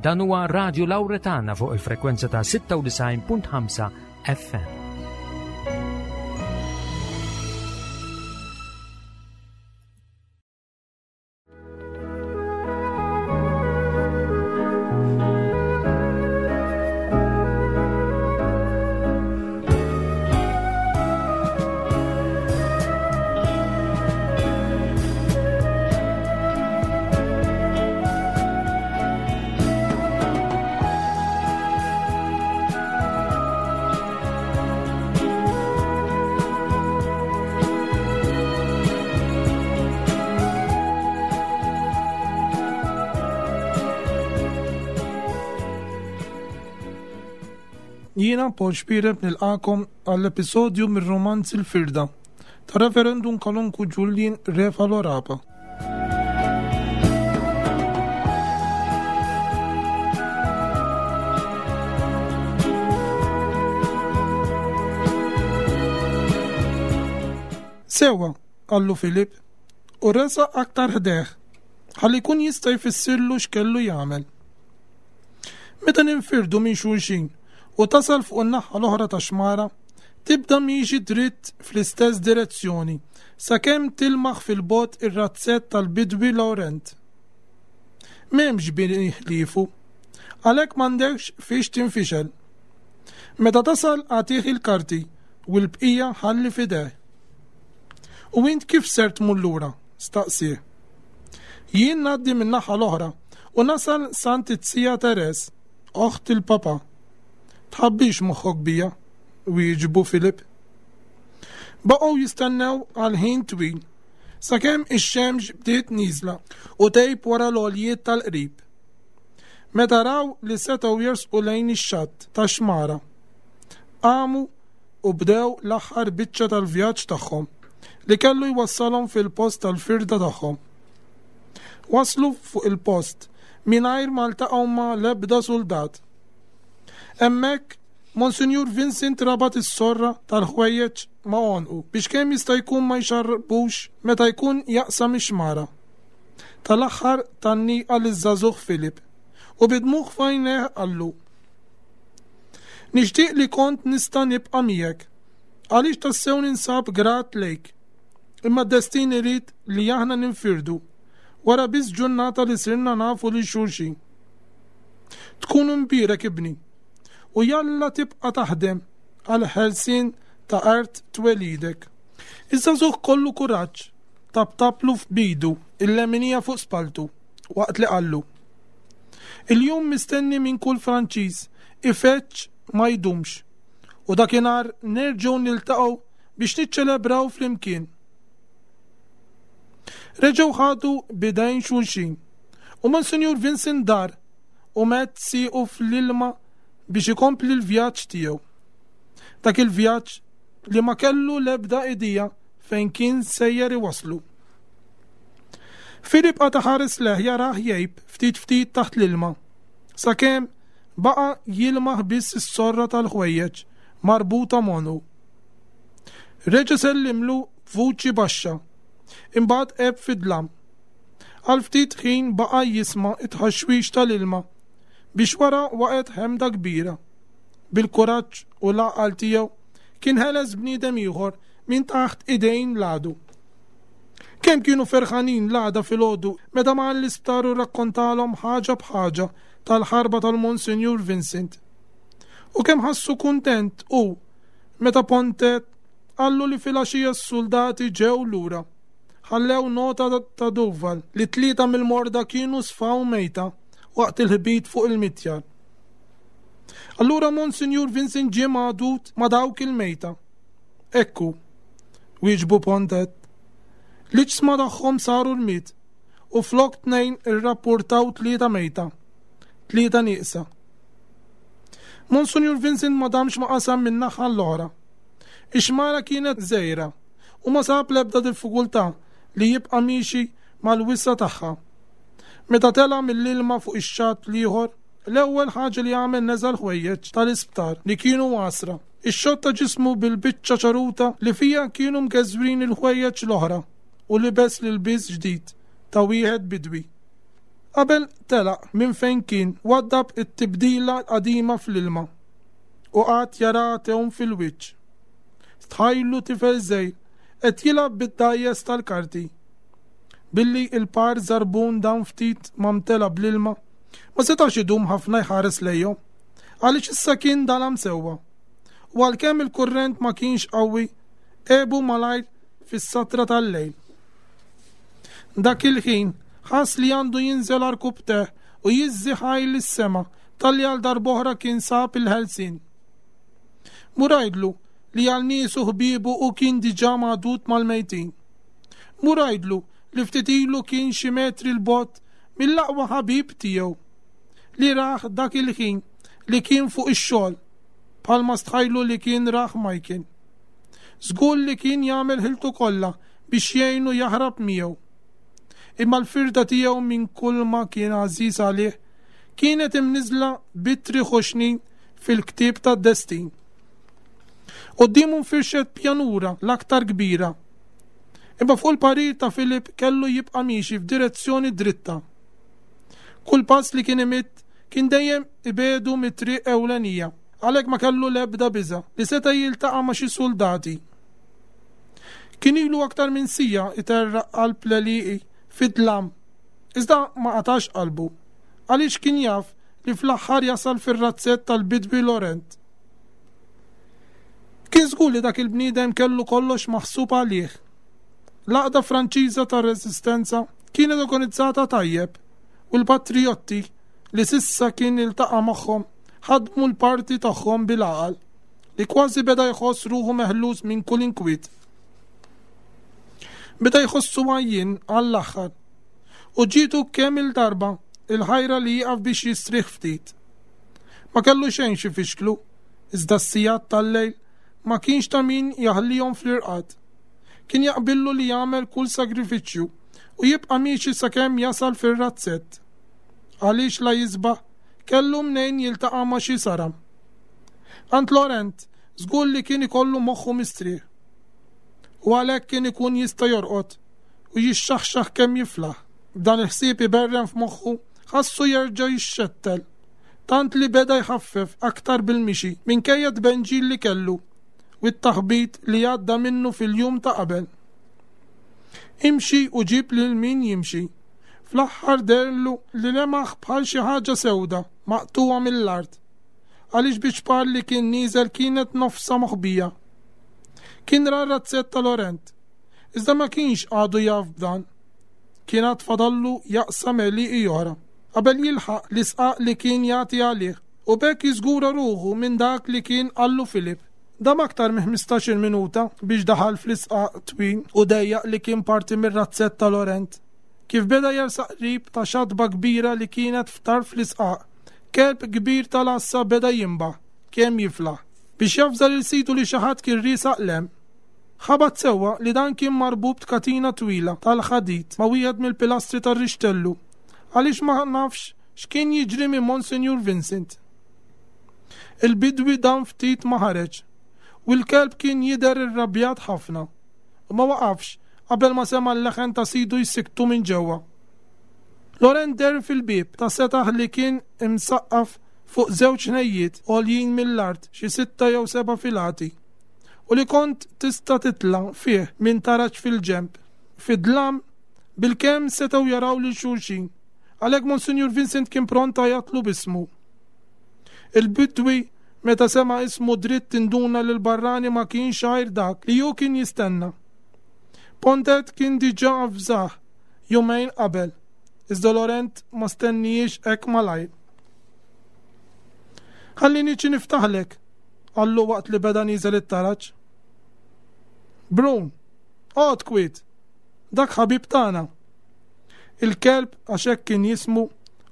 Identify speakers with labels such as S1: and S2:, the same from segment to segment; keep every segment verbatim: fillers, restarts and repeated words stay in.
S1: Dan huwa Radio Lauretana fuq il-frekwenza ta' sitta u disgħin punt ħamsa F M.
S2: Jiena Paul Xuereb nilqagħkom għall-episodju mir-romanz Il-Firda ta' Reverendum Kanonku Julian Refalo Rapa. Sewwa, qallu Filip, u resaq aktar ħdejh, ħalli jkun jista' jfissirlu x'kellu jagħmel. Meta ninfirdu minn xulxin u tasal fuq in-naħa l-oħra ta' xmara, tibda miexi dritt fl-istess direzzjoni sakemm tilmaħ fil-bogħod ir-razzett tal-bidwi Laurent. M'hemmx bini ħliefu, għalhekk m'għandekx fiex tinfixel. Meta tasal agħtih il-karti u l-bqija ħalli f'idejh. U int kif ser tmur lura? Staqsieh. Jien ngħaddi min-naħa l-oħra u nasal s'għand iz-zija Teres, oħt il-papa. Tħabbix moħħok bija, wieġbu Filip. Baqgħu jistennew għal ħin twil, sakemm ix-xemx bdiet nieżla u tgħib wara l-għoljiet tal-qrib. Meta raw li setgħu jersqu lejn ix-xatt ta' xmara, qamu u bdew l-aħħar biċċa tal-vjaġġ tagħhom li kellu jwassalhom fil-post tal-firda tagħhom. Waslu fuq il-post mingħajr ma ltaqgħu ma' l-ebda soldat. Hemmhekk Monsinjur Vincent rabat is-sorra tal-ħwejjeġ ma' għonqu biex kemm jista' jkun ma jxarrbux meta jkun jaqsam ix-xmara. Tal-aħħar tgħanniqa liż-żagħżugħ Filip u bid-dmugħ f'għajnejh qallu: Nixtieq li kont nista' nibqa' miegħek, għaliex tassew ninsab grat lejk. Imma d-destin irid li aħna ninfirdu wara biss ġurnata li sirna nafu lil xulxin. Tkun imbierek, ibni, u jalla tibqa' taħdem għal ħelsien ta' art twelidek. Iż-żagħżugħ kollu kuraġġ taptaplu b'idu il-leminija fuq spaltu waqt li qallu: Il-jum mistenni minn kull Franċiż ifeġġ ma jdumx u dakinhar nerġgħu niltaqgħu biex niċċelebraw flimkien. Reġgħu ħadu b'idejn xulxin u Monsinjur Vincent dar u medd siequ fl-ilma biex ikompli l-vjaġġ tiegħu. Dak il-vjaġġ li ma kellu l-ebda idea fejn kien sejjer iwaslu. Filip qagħad iħares lejh jarah jgħib ftit ftit taħt l-ilma. Sakemm baqa' jilmaħ biss is-sorra tal-ħwejjeġ marbuta m'għonqu. Reġa' sellimlu b'vuċi baxxa. Imbagħad għeb fid-dlam. Għal ftit ħin baqa' jisma' it-ħaxwix tal-ilma biex wara waqgħet ħemda kbira. Bil-kuraġġ u l-għaqal tiegħu kien ħeles bniedem ieħor minn taħt idejn l-għadu. Kemm kienu ferħanin l-għada filgħodu meta mar l-isptar u rakkontalhom ħaġa b'ħaġa tal-ħarba tal-Monsinjur Vincent. U kemm ħassu kuntent u meta Pontet qallu li filgħaxija s-soldati ġew lura. Ħallew nota ta' Duval li tlieta mill-morda kienu sfaw mejta waqt il-ħbit fuq il-mitjar. Allura Monsinjur Vincent ġie magħdud ma' dawk il-mejta. Ekku, wieġbu Pontet. L-iġsma tagħhom saru rmied u flok tnejn irrapportaw tlieta mejta. Tlieta nieqsa. Monsinjur Vincent ma damx ma qasam minn naħa l-oħra. Ix-xmara kienet żgħira u ma sab l-ebda diffikultà li jibqa' miexi mal-wisa' tagħha. Meta tela mill-ilma fuq ix-xatt l-ieħor, l-ewwel ħaġa li għamel neża' l-ħwejjeġ tal-isptar li kienu għasra. Ixxotta ġismu bil-biċċa ċaruta li fija kienu mgeżwrin il-ħwejjeġ l-oħra u libes l-ilbies ġdid ta' wieħed bidwi. Qabel telaq minn fejn kien waddab it-tibdila qadima fl-ilma u qagħad jara tewm fil-wiċċ. Stħajlu tifel żgħir qed jilgħab bid-dgħajjes tal-karti. Billi il-par żarbun dan ftit ma mtela bl-ilma, ma setax idum ħafna jħares lejhom, għaliex issa kien dalam sewwa. U għalkemm il-kurrent ma kienx qawwi, għebu malajr fis-satra tal-lejl. Dak il-ħin ħass li għandu jinżel għarkupptejh u jiżżi ħajr lis-sema talli għal darb'oħra kien sab il-ħelsien. Mur għidlu li għal niesu ħbiebu u kien diġà magħdud mal-mejtin. Mur għidlu li ftit ilu kien xi metri 'l bogħod mill-aqwa ħabib tiegħu li rah dak il-ħin li kien fuq ix-xogħol bħalma stħajlu li kien rah Michael. Żgur li kien jagħmel ħiltu kollha biex jgħinu jaħrab miegħu. Imma l-firda tiegħu minn kull ma kien għażiż għalih kienet imniżla b'ittri ħoxnin fil-ktieb tad-destin. Quddiemu nfirxet pjanura l-aktar kbira. Imma fuq il-parir ta' Filip kellu jibqa' miexi f'direzzjoni dritta. Kull pass li kien imidd kien dejjem ibegħdu mit-triq ewlenija, għalhekk ma kellu l-ebda biża' li seta' jiltaqa' ma' xi soldati. Kien ilu aktar minn siegħa iterraq qalb l-għelieqi fid-dlam, iżda ma qatax qalbu, għaliex kien jaf li fl-aħħar jasal fir-razzett tal-bidwi Laurent. Kien żgur li dak il-bniedem kellu kollox maħsub għalih. L-għaqda Franċiża tar-Resistenza kienet organizzata tajjeb u l-patriotti li s'issa kien iltaqa' magħhom ħadmu l-parti tagħhom bil-għaqal li kważi beda jħoss ruħu meħlus minn kull inkwiet. Beda jħossu għajjien għall-aħħar u ġietu kemm il-darba il-ħajra li jieqaf biex jistrieħ ftit. Ma kellu xejn xi fixklu, iżda s-sigħat tal-lejl ma kienx ta' min jaħlihom fl-irqad. Kien jaqbillu li jagħmel kull sagrifiċċju u jibqa' miexi sakemm jasal fir-razzett. Għaliex la jisbaħ kellu mnejn jiltaqa' ma' xi saram. Għand Laurent żgur li kien ikollu moħħu mistrieħ. U għalhekk kien ikun jista' jorqod u jixxaħxaħ kemm jiflaħ. B'dan il-ħsieb iberren f'moħħu ħassu jerġa' jixxettel, tant li beda jħaffef aktar bil-mixi minkejja t-tbenġil li kellu u t-taħbit li għadda minnu fil-jum ta' qabel. Imxi u ġib lil min jimxi. Fl-aħħar deherlu li lemaħ bħal xi ħaġa sewda maqtugħa mill-art, għaliex biċ-ċpar li kien nieżel kienet nofsha moħbija. Kien ra r-razzett ta' Laurent, iżda ma kienx għadu jaf b'dan. Kien għad fadallu jaqsam għelieqi oħra qabel jilħaq l-isqaq li kien jagħti għalih u b'hekk jiżgura ruħu minn dak li kien qallu Filip. Dam aktar minn ħmistax-il minuta biex daħal fl-isqaq twil u dejjaq li kien parti mir-razzett ta' Laurent. Kif beda jersaq qrib ta' xatba kbira li kienet f'tarf l-isqaq, kelb kbir tal-għassa beda jinbaħ kemm jiflaħ biex javża lil sidu li xi ħadd kien riesaq 'l hemm. Ħabat sewwa li dan kien marbut b'katina twila tal-ħadid ma' wieħed mill-pilastri tar-rixtellu, għaliex ma nafx x'kien jiġri minn Monsinjur Vincent. Il-bidwi dan ftit ma ħareġ, u l-kelb kien jidher irrabjat ħafna, u ma waqafx qabel ma sema' l-leħen ta' sidu jsikktu minn ġewwa. Laurent deher fil-bieb ta' setaħ li kien imsaqqaf fuq żewġ ħnejjiet għoljin mill-art xi sitta jew seba' filati, u li kont tista' titla' fih minn taraġ fil-ġenb. Fid-dlam, bilkemm setgħu jaraw lil xulxin, għalhekk Monsinjur Vincent kien pront għajatlu b'ismu. Il-bidwi meta sema' ismu dritt induna li l-barrani ma kienx għajr dak li hu kien jistenna. Pontet kien diġà avżah jumejn qabel, iżda Laurent ma stennijiex hekk malajr. Ħalli niġi niftaħlek, qallu waqt li beda nieżel it-taraġ. Brun, oqgħod kwiet, dak ħabib tagħna. Il-kelb, għax hekk kien jismu,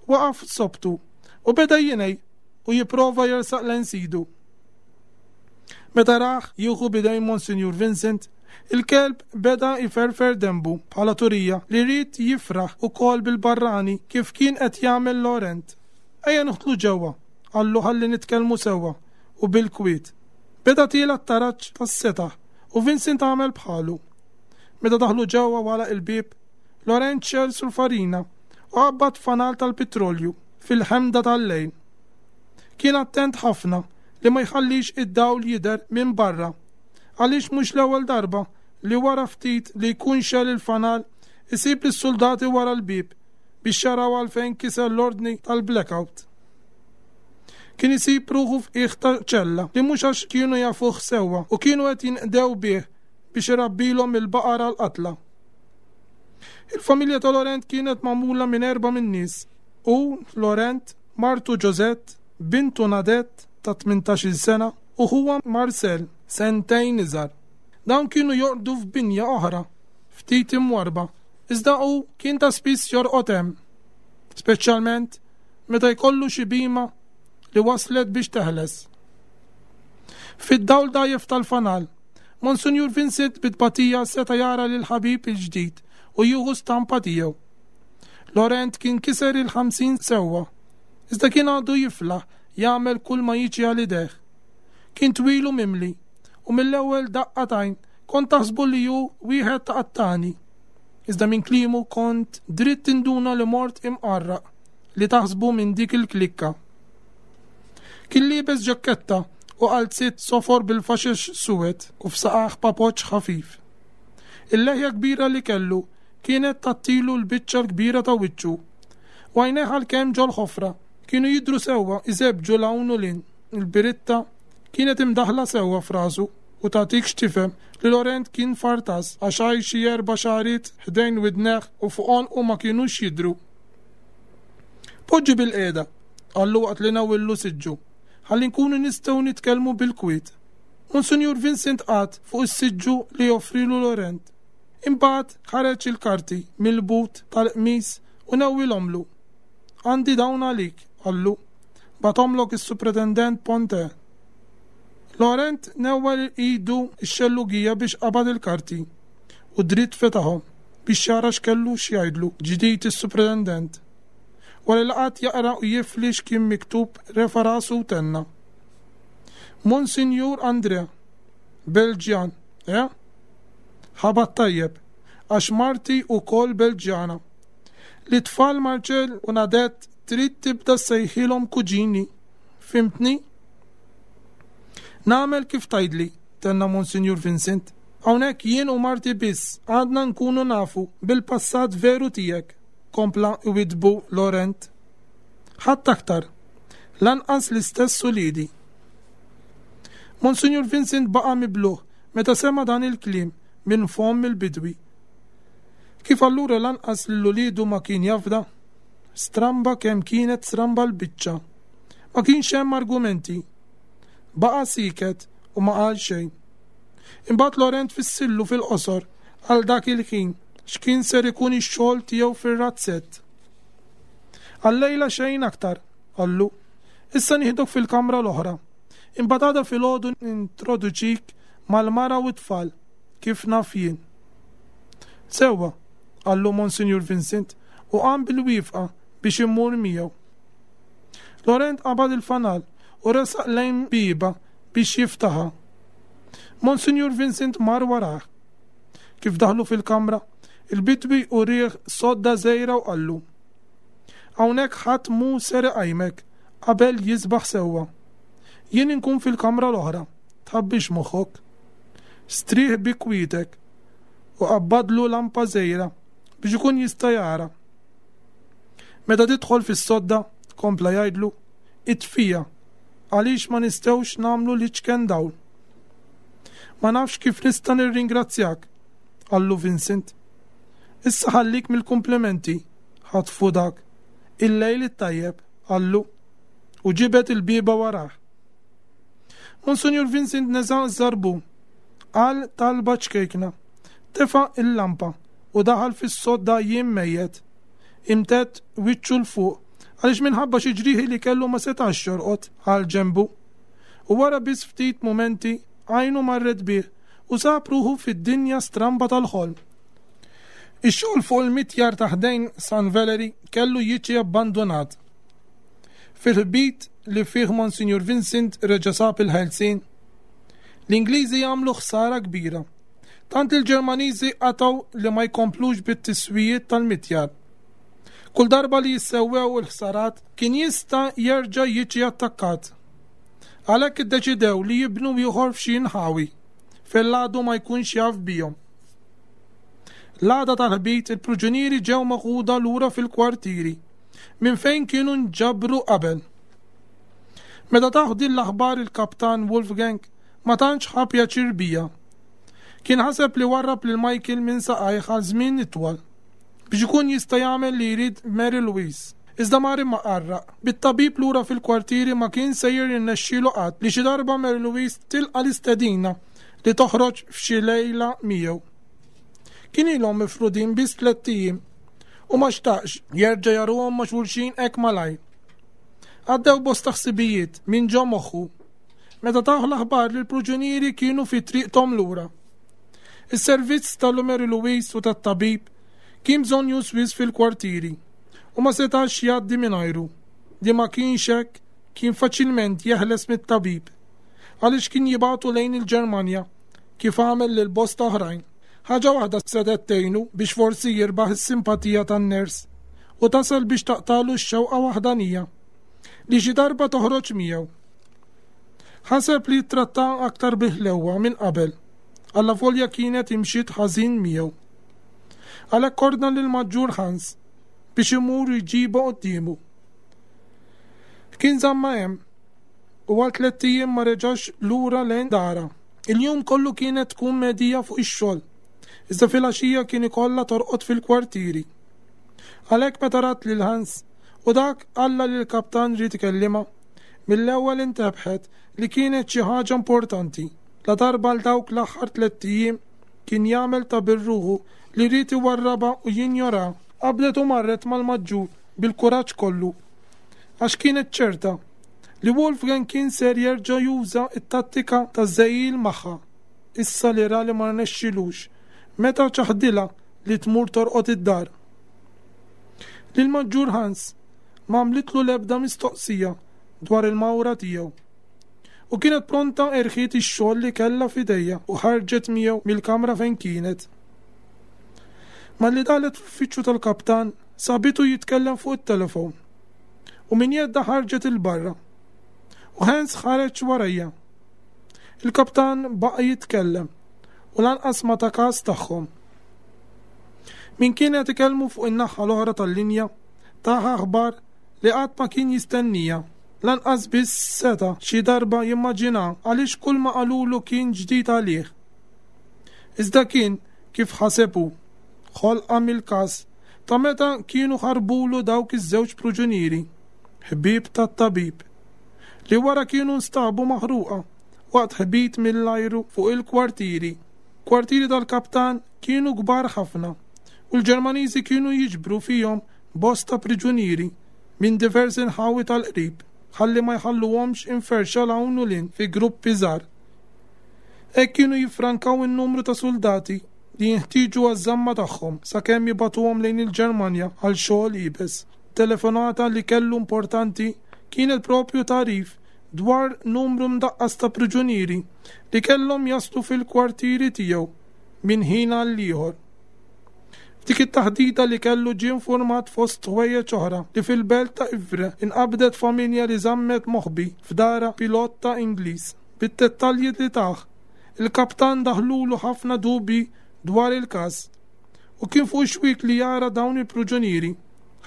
S2: waqaf sobtu u beda jingħi u jipprova jersaq lejn sidu. Meta rah jieħu b'idejn Monsinjur Vincent, il-kelb beda jferfer denbu bħala turija li ried jifraħ ukoll bil-barrani kif kien qed jagħmel Laurent. Ejja nidħlu ġewwa, qallu ħalli nitkellmu sewwa u bil-kwiet. Beda tiela' t-taraġ tas-setaħ u Vincent għamel bħalu. Meta daħlu ġewwa wara il-bieb, Laurent xegħel sulfarina u qabbad fanal tal-petrolju fil-ħemda tal-lejl. Kien attent ħafna li ma jħallix id-dawl jidher minn barra, għaliex mhux l-ewwel darba li wara ftit li jkun xegħel il-fanal isib lis-soldati wara l-bieb biex jaraw għalfejn kiser l-ordni tal-blackout. Kien isib ruħu f'qiegħ ta' ċella li mhux għax kienu jafuh sewwa u kienu qed jinqdew bih biex irabbilhom il-baqara l-qatla. Il-familja ta' Laurent kienet magħmula minn erba' min-nies u Laurent, martu Josette, bintu Nadette ta' tmintax-il sena u ħuha Marcel, sentejn iżgħar. Dawn kienu jorqdu f'binja oħra, ftit imwarba, iżda hu kien ta' spiss jorqod hemm, speċjalment meta jkollu xi bima li waslet biex teħles. Fid-dawl dajjef tal-fanal, Monsinjur Vincent bit-tbatija seta' jara lil ħabib il-ġdid u jieħu stampa tiegħu. Laurent kien kiser il-ħamsin sewwa, iżda kien għadu jiflaħ jagħmel kull ma jiġi għal idejh. Kien twil u mimli, u mill-ewwel daqqa t'għajn kont taħsbu li hu wieħed ta' qattani. Iżda minn kliemu kont dritt tinduna li mort imqarraq li taħsbu minn dik il-klikka. Kien liebes ġakketta u qalziet sofor bil-faxex suwed u f'saqajh papoċċ ħafif. Il-leħja kbira li kellu kienet tattilu l-biċċa l-kbira ta' wiċċu. U għajnejh għalkemm ġol-ħofra kienu jidhru sewwa iżebġu 'l hawn u 'l hinn. Il-biritta kienet imdaħħla sewwa f'rasu u tagħtik x'tifhem li Laurent kien fartas għax għaj xi erba' xagħriet ħdejn widnejh u fuq għonqu ma kinux jidhru. Poġġi bil-qiegħda, qallu waqt li nawillu siġġu, ħalli nkunu nistgħu nitkellmu bil-kwiet. Monsinjur Vincent qagħad fuq is-siġġu li joffrilu Laurent. Imbagħad ħareġ il-karti mill-but tal-qmis u nawwilhomlu. Għandi dawn għalik, qallu. Bagħathomlok is-Supretendent Ponte. Laurent newwel idu x-xellugija biex qabad il-karti u dritt fetaħhom biex jara x'kellu x'jgħidlu ġdid is-Supretendent. Wara li qagħad jaqra u jifli x'kien miktub refa' rasu u tenna. Monsinjur Andrea, Belġjan, eh? Ħabat tajjeb, għax marti wkoll Belġjana. Li tfal Marcel u Nadette trid tibda sejħilhom kuġini. Fimtni? Nagħmel kif tgħidli, tenna Monsinjur Vincent. Hawnhekk jien u marti biss għadna nkunu nafu bil-passat veru tiegħek, kompla iwidbu Laurent. Ħadd aktar, lanqas l-istess uliedi. Monsinjur Vincent baqa' mibluh meta sema' dan il-kliem minn fomm il-bidwi. Kif allura lanqas lil uliedu ma kien jafda? Stramba kemm kienet stramba l-biċċa. Ma kienx hemm argumenti. Baqa' siket u ma qal xejn. Imbagħad Laurent fissillu fil-qosor għal dak il-ħin x'kien ser ikun ix-xogħol tiegħu fir-razzett. Għal-lejla xejn aktar, qallu. Issa nieħdok fil-kamra l-oħra. Imbagħad għada filgħodu nintroduċik mal-mara u t-tfal, kif naf jien. Sewwa, qallu Monsinjur Vincent u qam bil-wifqa biex immur miegħu. Laurent qabad il-fanal u resaq lejn bieba biex jiftaħha. Monsinjur Vincent mar warah. Kif daħlu fil-kamra, il-bidwi u rieħ sodda żgħira u qallu. Hawnhekk ħadd mhu ser iqajmek qabel jisbaħ sewwa. Jien inkun fil-kamra l-oħra, tħabbix moħħok. Strieħ bi kwietek u qabbadlu lampa żgħira biex ikun jista' jara. Meta tidħol fis-sodda, kompla jgħidlu, itfija, għaliex ma nistgħux nagħmlu l-iċken dawl. Ma nafx kif nista' nirringrazzjak, qallu Vincent. Issa ħallik mill-komplimenti, ħatfu dak. Il-lejl it-tajjeb, qallu, u ġibed il-bieba warah. Monsinjur Vincent neża' żarbun, qal talba ċkejkna, tefa' il-lampa u daħal fis-sodda jiem mejjet. Imtedd wiċċu 'l fuq għaliex minħabba xi ġrieħi li kellu ma setax jorqod għal ġenbu. U wara biss ftit mumenti għajnu marret bih u sab ruħu fid-dinja stramba tal-ħolm. Ix-xogħol fuq il-mitjar ta' ħdejn San Valery kellu jiġi abbandonat. Fil-ħbit li fih Monsinjur Vincent reġa' sab il-ħelsien, l-Ingliżi jagħmlu ħsara kbira. Tant il-Ġermaniżi qatgħu li ma jkomplux bit-tiswijiet tal-mitjar. Kull darba li jissewwew il-ħsarat kien jista' jerġa' jiġi attakkat. Għalhekk iddeċidew li jibnu ieħor f'xi nħawi fejn l-għadu ma jkunx jaf bihom. L-għada tal-ħbit il-pruġunieri ġew meħuda lura fil-kwartieri minn fejn kienu nġabru qabel. Meta tah din l-aħbar il-kaptan Wolfgang ma tantx ħa pjaċir biha. Kien ħaseb li warrab lil Michael minn saqajh għal żmien itwal biex ikun jista' jagħmel li jrid Mary Louise. Iżda mar imma qarraq. Bit-tabib lura fil-kwartieri ma kien sejjer jirnexxielu qatt li xi darba Mary Louise tilqa' l-istedina li toħroġ f'xi lejla miegħu. Kien ilhom mifrudin biss tlett ijiem u ma xtaqx jerġa' jaruhom ma' xulxin hekk malajr. Għaddew bosta ħsibijiet minn ġo moħħu meta tah l-aħbar li l-pruġunieri kienu fi triqthom lura. Is-servizz tal-Mary Louise u tat-tabib kien bżonnjuż wisq fil-kwartieri u ma setax jgħaddi mingħajru. Li ma kienx hekk kien faċilment jeħles mit-tabib għaliex kien jibagħtu lejn il-Ġermanja kif għamel lil bosta oħrajn. Ħaġa waħda setgħet tgħinu biex forsi jirbaħ is-simpatija tan-ners u tasal biex taqtalu x-xewqa waħdanija li xi darba toħroġ miegħu. Ħaseb li jittratta aktar biħlewwa minn qabel, allavolja kienet imxiet ħażin miegħu. Għalhekk ordna lil Maġġur Hans biex imur jġibha quddiemu. Kien żamma hemm u għal tlett ijiem ma reġax lura lejn dara. Il-jum kollu kienet tkun medija fuq ix-xogħol, iżda filgħaxija kien ikollha torqod fil-kwartieri. Għalhekk meta rat lil Hans u dak qallha li l-kaptan ried ikellimha, mill-ewwel intebħet li kienet xi ħaġa importanti. La darba għal dawk l-aħħar tlett ijiem kien jagħmel ta' birruħu li ried iwarrabha u jinjora. Qablet u marret mal-maġġur bil-kuraġġ kollu, għax kienet ċerta li Wolfgang kien ser jerġa' juża t-tattika taż-żejjil magħha, issa li ra li ma rnexxilux meta ċaħdilha li tmur torqod id-dar. Lil Maġġur Hans ma għamlitlu l-ebda mistoqsija dwar il-mawra tiegħu u kienet pronta erħiet ix-xogħol li kellha f'idejha u ħarġet miegħu mill-kamra fejn kienet. Malli daħlet fl-uffiċċju tal-kaptan sabitu jitkellem fuq it-telefon u minn jedda ħarġet il-barra u Hans ħareġ warajja. Il-kaptan baqa' jitkellem u lanqas ma ta każ tagħhom. Min kien qed ikellmu fuq in-naħa l-oħra tal-linja taha aħbar li qatt ma kien jistennija. Lanqas biss seta' xi darba jimmaġina għaliex kull ma qalulu kien ġdid għalih. Iżda kien kif ħaseb hu, ħolqa mill-każ ta' meta kienu ħarbulu dawk iż-żewġ pruġunieri, ħbieb tat-tabib, li wara kienu nstabu maħruqa waqt ħbit mill-ajru fuq il-kwartieri. Kwartieri tal-kaptan kienu kbar ħafna u l-Ġermaniżi kienu jiġbru fihom bosta priġunieri minn diversi nħawi tal-qrib ħalli ma jħalluhomx inferxa 'l hawn u 'l hinn fi gruppi żgħar. Hekk kienu jiffrankaw in-numru ta' soldati li jinħtieġu għaż-żamma tagħhom sakemm jibagħtuhom lejn il-Ġermanja għal xogħol iebes. Telefonata li kellu importanti kienet propju tagħrif dwar numru mdaqqas ta' priġunieri li kellhom jaslu fil-kwartieri tiegħu minn ħin għal ieħor. F'dik it-taħdita li kellu ġie informat fost ħwejjeġ oħra li fil-belt ta' Ivre inqabdet familja li żammet moħbi f'dara pilota Ingliż. Bid-dettalji li tah, il-kaptan daħlulu ħafna dubi dwar il-każ u kien fuq xwiek li jara dawn il-pruġunieri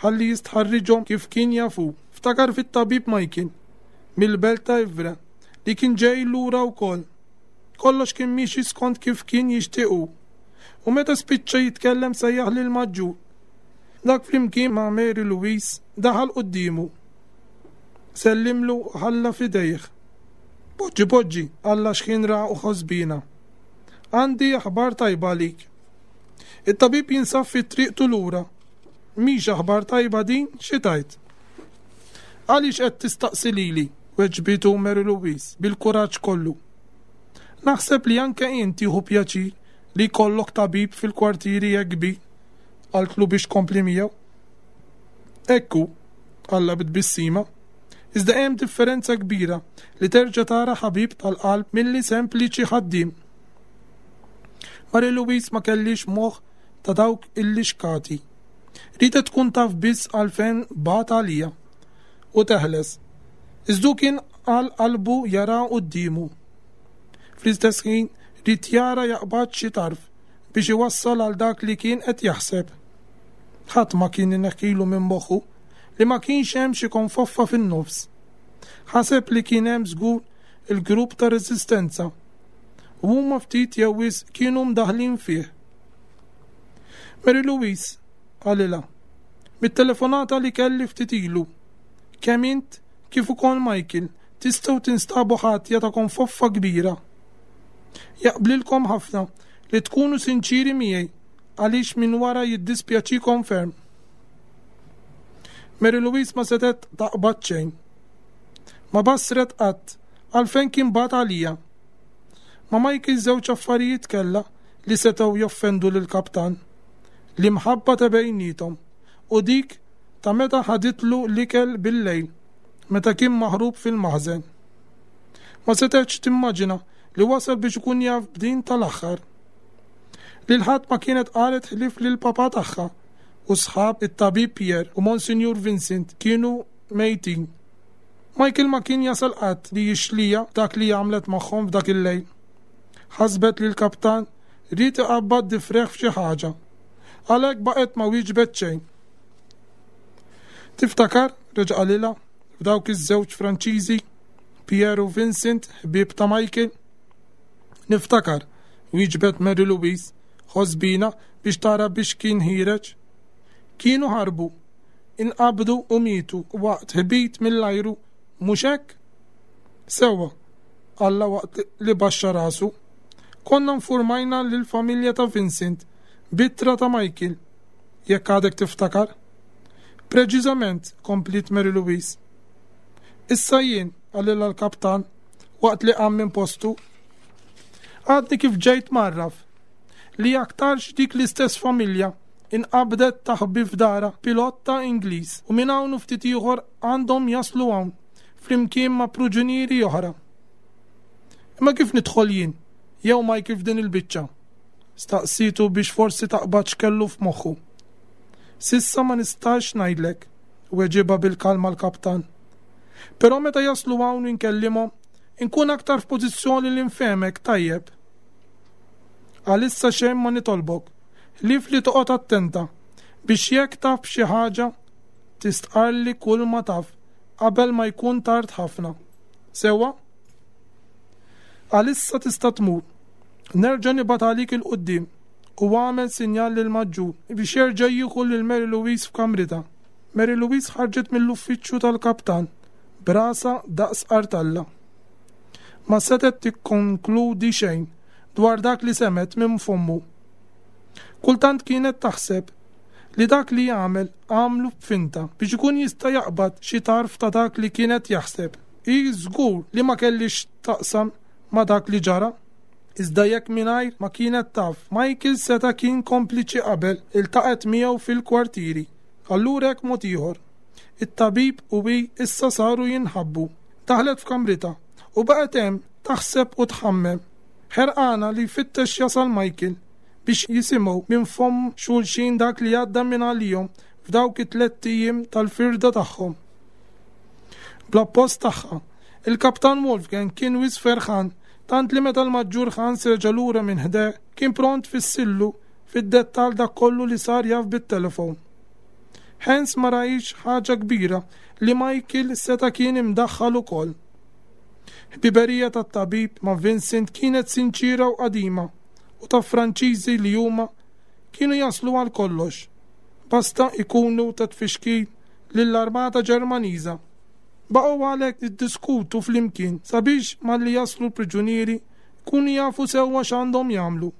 S2: ħalli jistħarriġhom kif kien jafu. Ftakar fit-tabib Michael mill-belt ta' Ivre li kien ġej lura wkoll. Kollox kien miexi skont kif kien jixtiequ. U meta spiċċa jitkellem sejjaħ lil Maġġur. Dak flimkien ma' Mary Louise daħal quddiemu. Sellimlu u ħalla f'idejh. Poġġi poġġi, qalla x'ħin ra u ħosbina. Għandi aħbar tajba għalik. It-tabib jinsab fi triqtu lura. Mhix aħbar tajba din, xi tajt? Għaliex qed tistaqsi lili? Weġbitu Mary Louise bil-kuraġġ kollu. Naħseb li anke int tieħu pjaċir li jkollok tabib fil-kwartieri hekk kbir, qaltlu biex tkompli miegħu. Ekku, qalla bit-tbissima, iżda hemm differenza kbira li terġa' tara ħabib tal-qalb milli sempliċi ħaddiem. Mary Louise ma kellix moħħ ta' dawk il-lixkati. Riedet tkun taf biss għalfejn bagħat għaliha u teħles. Iżda kien għal qalbu jara quddiemu. Fl-istess ħin ried jara jaqbad xi tarf biex iwassal għal dak li kien qed jaħseb. Ħadd ma kien ineħħilu minn moħħu li ma kienx hemm xi konfoffa fin-nofs. Ħaseb li kien hemm żgur il-grupp ta' reżistenza u huma ftit jew wisq kienu mdaħlin fih. Mary Louise, qalilha, mit-telefonata li kelli ftit ilu, kemm int kif ukoll Michael tistgħu tinstabu ħatja ta' konfoffa kbira. Jaqblilkom ħafna li tkunu sinċiri miegħi għaliex minn wara jiddispjaċikom ferm. Mary Louise ma setgħet taqbad xejn. Ma basret qatt għalfejn kien bagħat għaliha. Ma Michael żewġ affarijiet kellha li setgħu joffendu lill-kaptan. L-imħabba ta' bejniethom u dik ta' meta ħaditlu l-ikel bil-lejl meta kien maħrub fil-maħżen. Ma setgħetx timmaġina li wasal biex ikun jaf b'din tal-aħħar. Lil ħadd ma kienet qalet ħlief lil papa tagħha u sħab it-tabib Pierre u Monsignor Vincent kienu mejtin. Michael ma kien jasal qatt li jixlija dak li għamlet magħhom f'dak il-lejl. Ħasbet li l-kaptan ried iqabbad difreħ f'xi ħaġa. Għalhekk baqgħet ma wieġbet xejn. Tiftakar, reġa' qalilha, f'dawk iż-żewġ Franċiżi, Pierre u Vincent, ħbieb ta' Michael? Niftakar, wieġbet Mary Louise, ħosbina biex tara biex kien ħireġ. Kienu ħarbu, inqabdu u mietu waqt ħbit mill-ajru, mhux hekk? Sewwa, qalha waqt li baxxa rasu. Konna nfurmajna lill-familja ta' Vincent b'ittra ta' Michael, jekk għadek tiftakar. Preċiżament, kompliet Mary Louise. Issa jien, qalilha l-kaptan, waqt li qam minn postu. Għadni kif ġejt mgħarraf li aktarx dik l-istess familja inqabdet taħbi f'dara pilota Ingliż u minn hawn u ftit ieħor għandhom jaslu hawn flimkien ma' pruġunieri oħra. Imma kif nidħol jien jew Michael f'din il-biċċa? Staqsitu biex forsi taqbad x'kellu f'moħħu. S'issa ma nistax ngħidlek, weġibha bil-kalma l-kaptan. Però meta jaslu hawn inkellimhom, inkun aktar f'pożizzjoni li nfehmek tajjeb. Għalissa xejn ma nitolbok, ħlief li toqgħod attenta biex jekk taf xi ħaġa tistqarli kull ma taf qabel ma jkun tard ħafna. Sewwa? Għalissa tista' tmur. Nerġa' nibgħat għalik il-quddiem u għamel sinjal lil maġġur biex jerġa' jieħu lil Mary Louise f'kamritha. Mary Louise ħarġet mill-uffiċċju tal-kaptan b'rasha daqs qartalla. Ma setgħet tikkonkludi xejn dwar dak li semgħet minn fommu. Kultant kienet taħseb li dak li jagħmel għamlu b'finta biex ikun jista' jaqbad xi tarf ta' dak li kienet jaħseb. Hi żgur li ma kellix taqsam ma' dak li ġara. Iżda jekk mingħajr ma kienet taf, Michael seta' kien kompliċi qabel iltaqgħet miegħu fil-kwartieri. Allura hekk mod ieħor. It-tabib u hi issa saru jinħabbu. Daħlet f'kamritha u baqgħet hemm taħseb u tħammem. Ħerqana li jfittex jasal Michael biex jisimgħu minn fomm xulxin dak li għadda minn għalihom f'dawk it-tliet ijiem tal-firda tagħhom. Bl-appost tagħha, il-kaptan Wolfgang kien wisq ferħan tant li meta l-maġġur Hans reġa' lura minn ħdejh kien pront fissillu fid-dettal dak kollu li sar jaf bit-telefon. Hans ma rajx ħaġa kbira li Michael seta' kien imdaħħal ukoll. Ħbiberija tat-tabib ma' Vincent kienet sinċira u qadima u ta' Franċiżi li huma kienu jaslu għal kollox. Basta ikunu ta' tfixkil lill-armata Ġermaniża. Baqgħu għalhekk jiddiskutu flimkien sabiex malli jaslu l-priġunieri kunu jafu sewwa x'għandhom jagħmlu.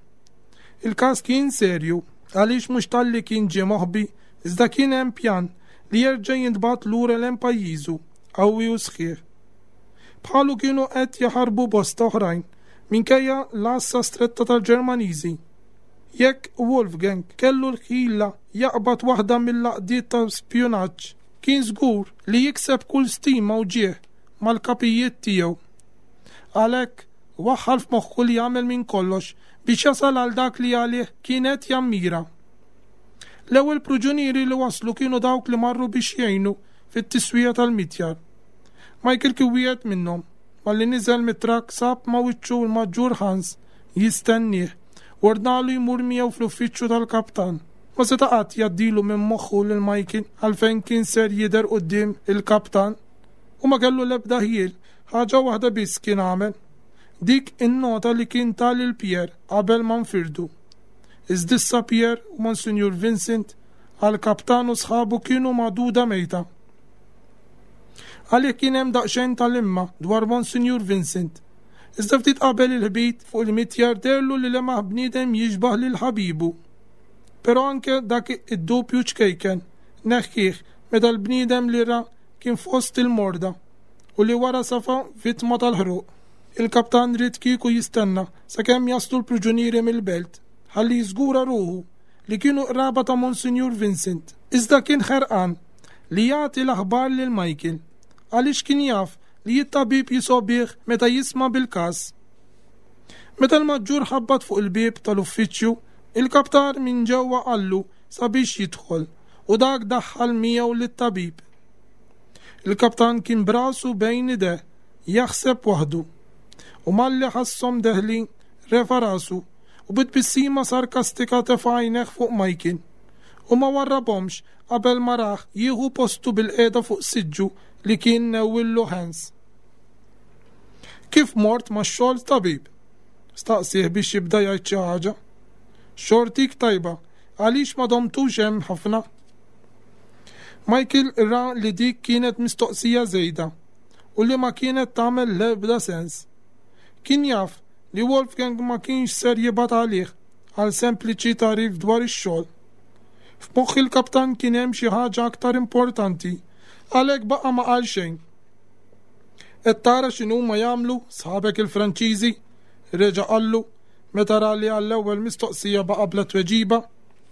S2: Il-każ kien serju għaliex mhux talli kien ġie moħbi iżda kien hemm pjan li jerġa' jintbagħat lura lejn pajjiżu qawwi u sħiħ. Bħalu kienu qed jaħarbu bosta oħrajn minkejja l-għassa stretta tal-Ġermaniżi. Jekk Wolfgang kellu l-ħila jaqbad waħda mill-għaqdiet ta' spjunaġġ, kien żgur li jikseb kull stima u ġieħ mal-kapijiet tiegħu. Għalhekk waħħal f'moħħu li jagħmel minn kollox biex jasal għal dak li għalih kienet jammira. L-ewwel pruġunieri li waslu kienu dawk li marru biex jgħinu fit-tiswija tal-mitjar. Michael kien wieħed minnhom. Malli niżel mit-trakk sab ma' wiċċu l-Maġġur Hans jistennieh u ordnalu jmur miegħu fl-uffiċċju tal-kaptan. Ma seta' qatt jgħaddilu minn moħħu lil Michael għalfejn kien ser jidher quddiem il-kaptan u ma kellu l-ebda ħjiel, ħaġa waħda biss kien għamel. Dik in-nota li kien ta lil Pierre qabel ma nfirdu. Iżda issa Pierre u Monsinjur Vincent għall-kaptan u sħabu kienu magħduda mejta. Għalih kien hemm daqsxejn tal-imma dwar Monsinjur Vincent. Iżda ftit qabel il-ħbit fuq il-mitjar deherlu li lemaħ bniedem jixbah lil ħabibu. Però anke dak id-dubju ċkejken neħħih meta l-bniedem li ra kien fost il-morda u li wara safa vittma tal-ħruq. Il-kaptan ried kieku jistenna sakemm jaslu l-priġunieri mill-belt ħalli jiżgura ruħu li kienu qraba ta' Monsinjur Vincent. Iżda kien ħerqan li jagħti l-aħbar lil Michael għaliex kien jaf li t-tabib jisgħobieh meta jisma' bil-każ. Meta l-maġġur ħabbat fuq il-bieb tal-uffiċċju, il-kaptan minn ġewwa qallu sabiex jidħol u dak daħħal miegħu lit-tabib. Il-kaptan kien b'rasu bejn idejh jaħseb waħdu u malli ħasshom deħlin refa' rasu u bi tbissima sarkastika tefa' għajnejh fuq Michael u ma warrabhomx qabel ma rah jieħu postu bilqiegħda fuq siġġu li kien newwillu Hans. Kif mort max-xogħol tabib? Staqsieh biex jibda jgħid xi ħaġa. Xortik tajba, għaliex ma domtux hemm ħafna? Michael ra li dik kienet mistoqsija żejda u li ma kienet tagħmel l-ebda sens. Kien jaf li Wolfgang ma kienx ser jibgħat għalih għal sempliċi tagħrif dwar ix-xogħol. F'moħħ il-kaptan kien hemm xi ħaġa aktar importanti, għalhekk baqa' ma qal xejn. Qed tara x'inhuma jagħmlu sħabek il-Franċiżi? Reġa' qallu meta ra li għall-ewwel mistoqsija baqa' bla tweġiba.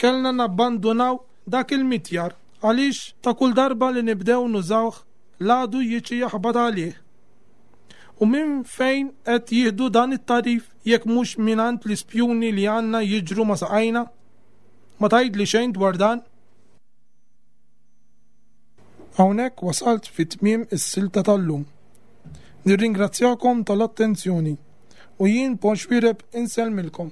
S2: Kellna nabbandunaw dak il-mitjar għaliex ta' kull darba li nibdew nużawh l-għadu jiġi jaħbat għalih. U minn fejn qed jieħdu dan it-tagħrif jekk mhux mingħand l-ispjuni li għandna jiġru ma' saqajna? Ma tgħidli xejn dwar dan? Hawnhekk wasalt fi tmiem is-silta tal-lum. Nirringrazzjakom tal-attenzjoni u jien Paul Xuereb insellmilkom.